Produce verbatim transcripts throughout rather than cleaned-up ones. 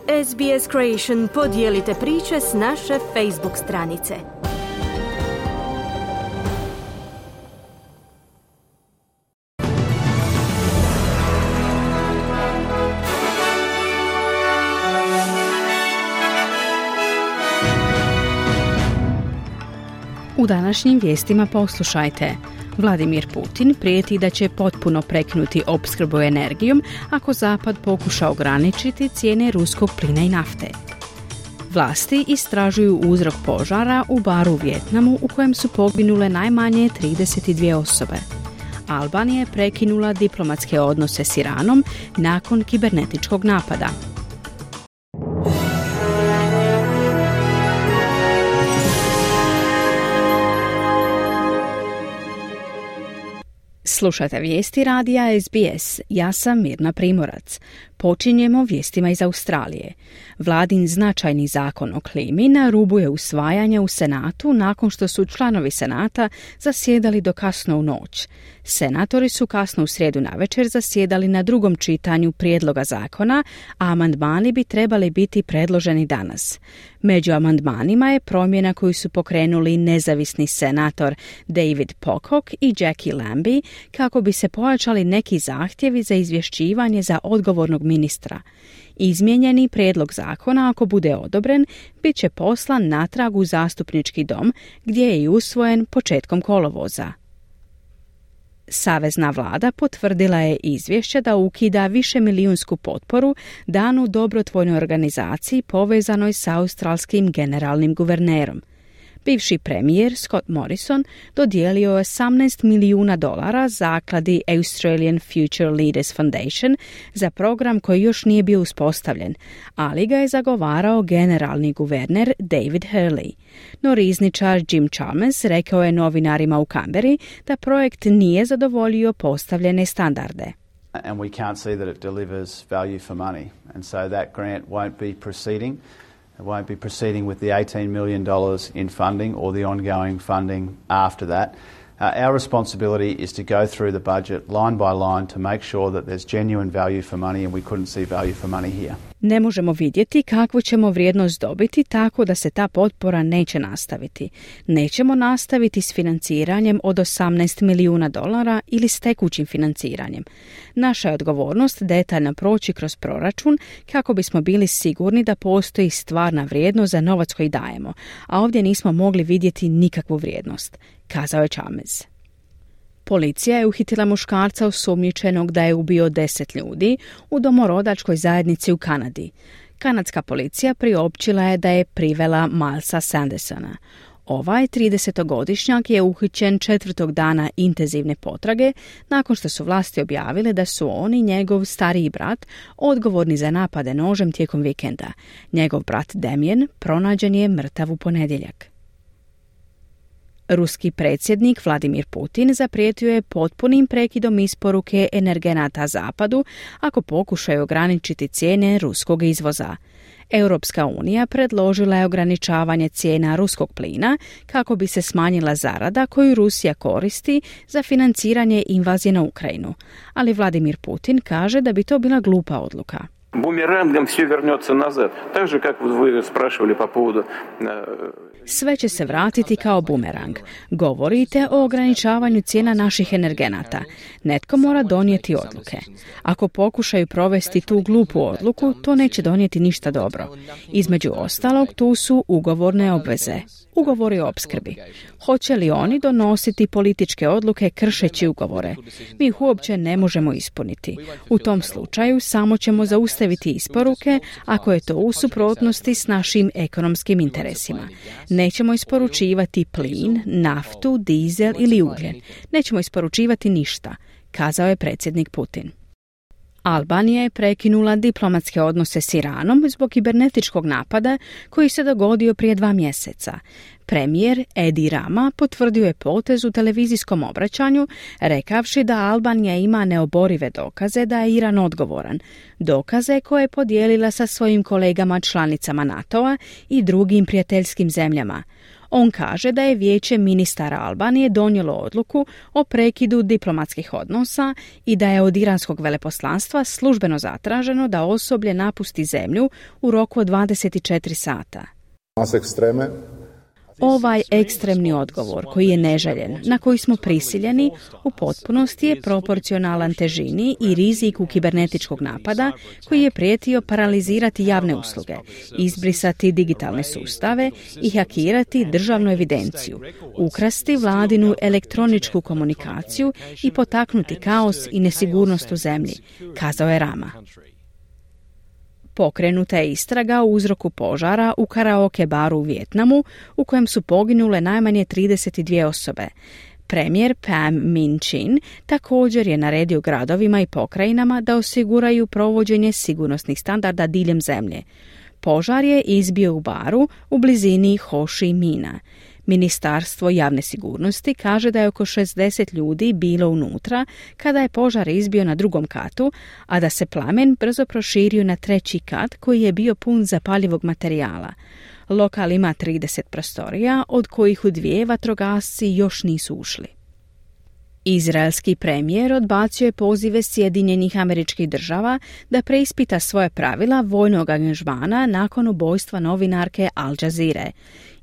S B S Creation podijelite priče s naše Facebook stranice. U današnjim vijestima poslušajte. Vladimir Putin prijeti da će potpuno prekinuti opskrbu energijom ako Zapad pokuša ograničiti cijene ruskog plina i nafte. Vlasti istražuju uzrok požara u baru u Vijetnamu u kojem su poginule najmanje trideset dvije osobe. Albanija je prekinula diplomatske odnose s Iranom nakon kibernetičkog napada. Slušate vijesti radija S B S. Ja sam Mirna Primorac. Počinjemo vijestima iz Australije. Vladin značajni zakon o klimi na rubu je usvajanja u Senatu nakon što su članovi Senata zasjedali do kasno u noć. Senatori su kasno u srijedu navečer zasjedali na drugom čitanju prijedloga zakona, a amandmani bi trebali biti predloženi danas. Među amandmanima je promjena koju su pokrenuli nezavisni senator David Pocock i Jackie Lambie kako bi se pojačali neki zahtjevi za izvješćivanje za odgovornog ministra. Izmijenjeni prijedlog zakona, ako bude odobren, bit će poslan natrag u zastupnički dom, gdje je i usvojen početkom kolovoza. Savezna vlada potvrdila je izvješće da ukida višemilijunsku potporu danu dobrotvojnoj organizaciji povezanoj s australskim generalnim guvernerom. Bivši premijer Scott Morrison dodijelio je osamnaest milijuna dolara zakladi Australian Future Leaders Foundation za program koji još nije bio uspostavljen, ali ga je zagovarao generalni guverner David Hurley. No rizničar Jim Chalmers rekao je novinarima u Canberri da projekt nije zadovoljio postavljene standarde. And we can't see that it delivers value for money, and so that grant won't be proceeding. It won't be proceeding with the eighteen million dollars in funding or the ongoing funding after that. Uh, our responsibility is to go through the budget line by line to make sure that there's genuine value for money, and we couldn't see value for money here. Ne možemo vidjeti kakvu ćemo vrijednost dobiti tako da se ta potpora neće nastaviti. Nećemo nastaviti s financiranjem od osamnaest milijuna dolara ili s tekućim financiranjem. Naša je odgovornost detaljno proći kroz proračun kako bismo bili sigurni da postoji stvarna vrijednost za novac koji dajemo, a ovdje nismo mogli vidjeti nikakvu vrijednost, kazao je Chalmers. Policija je uhitila muškarca osumnjičenog da je ubio deset ljudi u domorodačkoj zajednici u Kanadi. Kanadska policija priopćila je da je privela Milesa Sandersona. Ovaj tridesetogodišnjak je uhićen četvrtog dana intenzivne potrage nakon što su vlasti objavile da su on i njegov stariji brat odgovorni za napade nožem tijekom vikenda. Njegov brat Damien pronađen je mrtav u ponedjeljak. Ruski predsjednik Vladimir Putin zaprijetio je potpunim prekidom isporuke energenata Zapadu ako pokušaju ograničiti cijene ruskog izvoza. Europska unija predložila je ograničavanje cijena ruskog plina kako bi se smanjila zarada koju Rusija koristi za financiranje invazije na Ukrajinu, ali Vladimir Putin kaže da bi to bila glupa odluka. Бумерангом все вернется назад. Так же, как вы спрашивали по поводу... Sve će se vratiti kao bumerang. Govorite o ograničavanju cijena naših energenata. Netko mora donijeti odluke. Ako pokušaju provesti tu glupu odluku, to neće donijeti ništa dobro. Između ostalog, tu su ugovorne obveze. Ugovori o opskrbi. Hoće li oni donositi političke odluke kršeći ugovore? Mi ih uopće ne možemo ispuniti. U tom slučaju samo ćemo zaustaviti isporuke ako je to u suprotnosti s našim ekonomskim interesima. Nećemo isporučivati plin, naftu, dizel ili ugljen. Nećemo isporučivati ništa, kazao je predsjednik Putin. Albanija je prekinula diplomatske odnose s Iranom zbog kibernetičkog napada koji se dogodio prije dva mjeseca. Premijer Edi Rama potvrdio je potez u televizijskom obraćanju, rekavši da Albanija ima neoborive dokaze da je Iran odgovoran, dokaze koje je podijelila sa svojim kolegama članicama NATO-a i drugim prijateljskim zemljama. On kaže da je Vijeće ministara Albanije donijelo odluku o prekidu diplomatskih odnosa i da je od iranskog veleposlanstva službeno zatraženo da osoblje napusti zemlju u roku od dvadeset četiri sata. Ovaj ekstremni odgovor, koji je neželjen, na koji smo prisiljeni, u potpunosti je proporcionalan težini i riziku kibernetičkog napada koji je prijetio paralizirati javne usluge, izbrisati digitalne sustave i hakirati državnu evidenciju, ukrasti vladinu elektroničku komunikaciju i potaknuti kaos i nesigurnost u zemlji, kazao je Rama. Pokrenuta je istraga u uzroku požara u karaoke baru u Vijetnamu, u kojem su poginule najmanje trideset dvije osobe. Premijer Pham Minh Chinh također je naredio gradovima i pokrajinama da osiguraju provođenje sigurnosnih standarda diljem zemlje. Požar je izbio u baru u blizini Ho Chi Mina. Ministarstvo javne sigurnosti kaže da je oko šezdeset ljudi bilo unutra kada je požar izbio na drugom katu, a da se plamen brzo proširio na treći kat koji je bio pun zapaljivog materijala. Lokal ima trideset prostorija, od kojih u dvije vatrogasci još nisu ušli. Izraelski premijer odbacio je pozive Sjedinjenih Američkih Država da preispita svoje pravila vojnog angažmana nakon ubojstva novinarke Al Jazeere.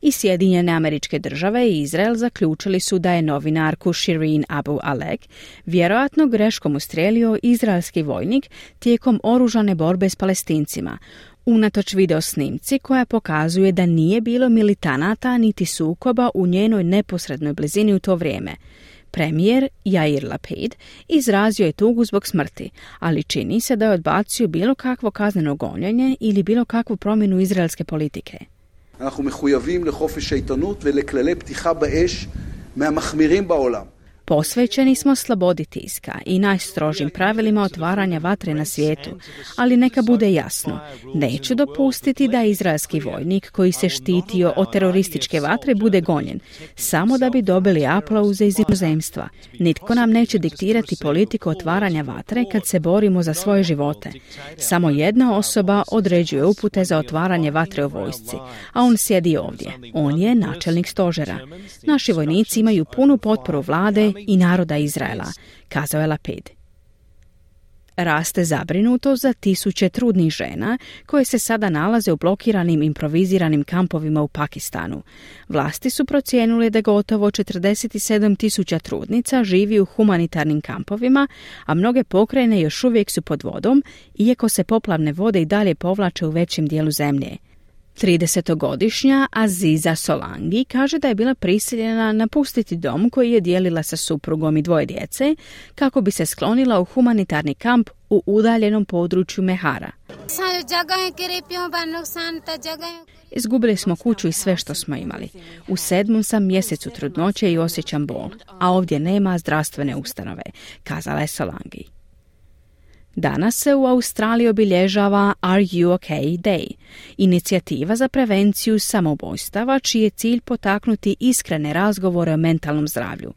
I Sjedinjene Američke Države i Izrael zaključili su da je novinarku Shireen Abu Alek vjerojatno greškom ustrijelio izraelski vojnik tijekom oružane borbe s Palestincima, unatoč video snimci koja pokazuje da nije bilo militanata niti sukoba u njenoj neposrednoj blizini u to vrijeme. Premijer Yair Lapid izrazio je tugu zbog smrti, ali čini se da je odbacio bilo kakvo kazneno gonjenje ili bilo kakvu promjenu izraelske politike. אנחנו מחויבים לחופש העיתונות ולכללי פתיחה באש מהמחמירים בעולם. Posvećeni smo slobodi tiska i najstrožim pravilima otvaranja vatre na svijetu, ali neka bude jasno, neću dopustiti da izraelski vojnik koji se štitio od terorističke vatre bude gonjen, samo da bi dobili aplauze iz inozemstva. Nitko nam neće diktirati politiku otvaranja vatre kad se borimo za svoje živote. Samo jedna osoba određuje upute za otvaranje vatre u vojsci, a on sjedi ovdje. On je načelnik stožera. Naši vojnici imaju punu potporu vlade i naroda Izraela, kazao je Lapid. Raste zabrinuto za tisuće trudnih žena koje se sada nalaze u blokiranim improviziranim kampovima u Pakistanu. Vlasti su procijenile da gotovo četrdeset sedam tisuća trudnica živi u humanitarnim kampovima, a mnoge pokrajine još uvijek su pod vodom, iako se poplavne vode i dalje povlače u većem dijelu zemlje. tridesetogodišnja Aziza Solangi kaže da je bila prisiljena napustiti dom koji je dijelila sa suprugom i dvoje djece kako bi se sklonila u humanitarni kamp u udaljenom području Mehara. Izgubili smo kuću i sve što smo imali. U sedmom sam mjesecu trudnoće i osjećam bol, a ovdje nema zdravstvene ustanove, kazala je Solangi. Danas se u Australiji obilježava Are You OK Day, inicijativa za prevenciju samoubojstava čiji je cilj potaknuti iskrene razgovore o mentalnom zdravlju.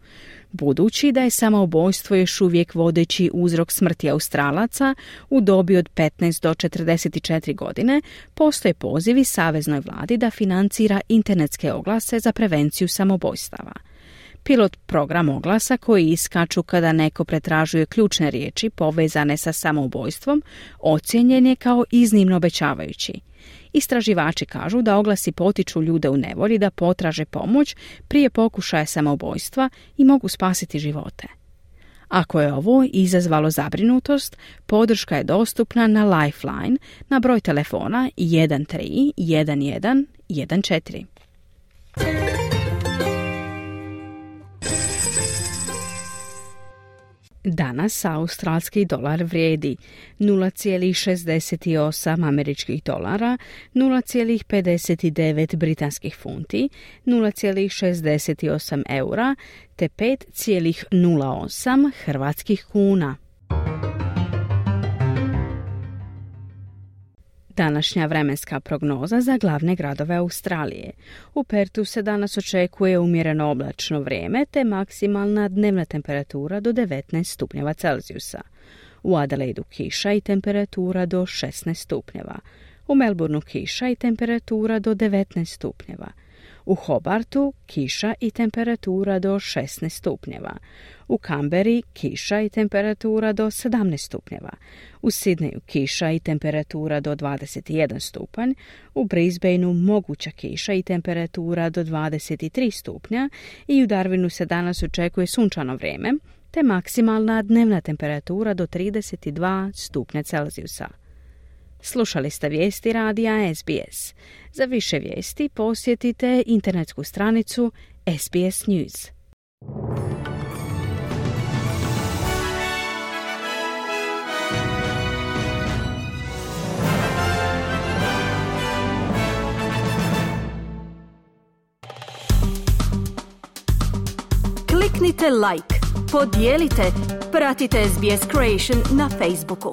Budući da je samoubojstvo još uvijek vodeći uzrok smrti Australaca u dobi od petnaest do četrdeset četiri godine, postoje pozivi saveznoj vladi da financira internetske oglase za prevenciju samoubojstava. Pilot program oglasa koji iskaču kada neko pretražuje ključne riječi povezane sa samoubojstvom ocijenjen je kao iznimno obećavajući. Istraživači kažu da oglasi potiču ljude u nevolji da potraže pomoć prije pokušaja samoubojstva i mogu spasiti živote. Ako je ovo izazvalo zabrinutost, podrška je dostupna na Lifeline na broj telefona jedan tri jedan jedan jedan četiri. Danas australski dolar vrijedi nula zarez šezdeset osam američkih dolara, nula zarez pedeset devet britanskih funti, nula zarez šezdeset osam eura te pet zarez nula osam hrvatskih kuna. Današnja vremenska prognoza za glavne gradove Australije. U Pertu se danas očekuje umjereno oblačno vrijeme te maksimalna dnevna temperatura do devetnaest stupnjeva Celzijusa. U Adelaidu kiša i temperatura do šesnaest stupnjeva. U Melbourneu kiša i temperatura do devetnaest stupnjeva. U Hobartu kiša i temperatura do šesnaest stupnjeva. U Kamberi kiša i temperatura do sedamnaest stupnjeva. U Sidneju kiša i temperatura do dvadeset jedan stupanj. U Brisbaneu moguća kiša i temperatura do dvadeset tri stupnja i u Darwinu se danas očekuje sunčano vrijeme te maksimalna dnevna temperatura do trideset dva stupnja Celzijusa. Slušali ste vijesti radija S B S. Za više vijesti posjetite internetsku stranicu S B S News. Kliknite like, podijelite, pratite S B S Creation na Facebooku.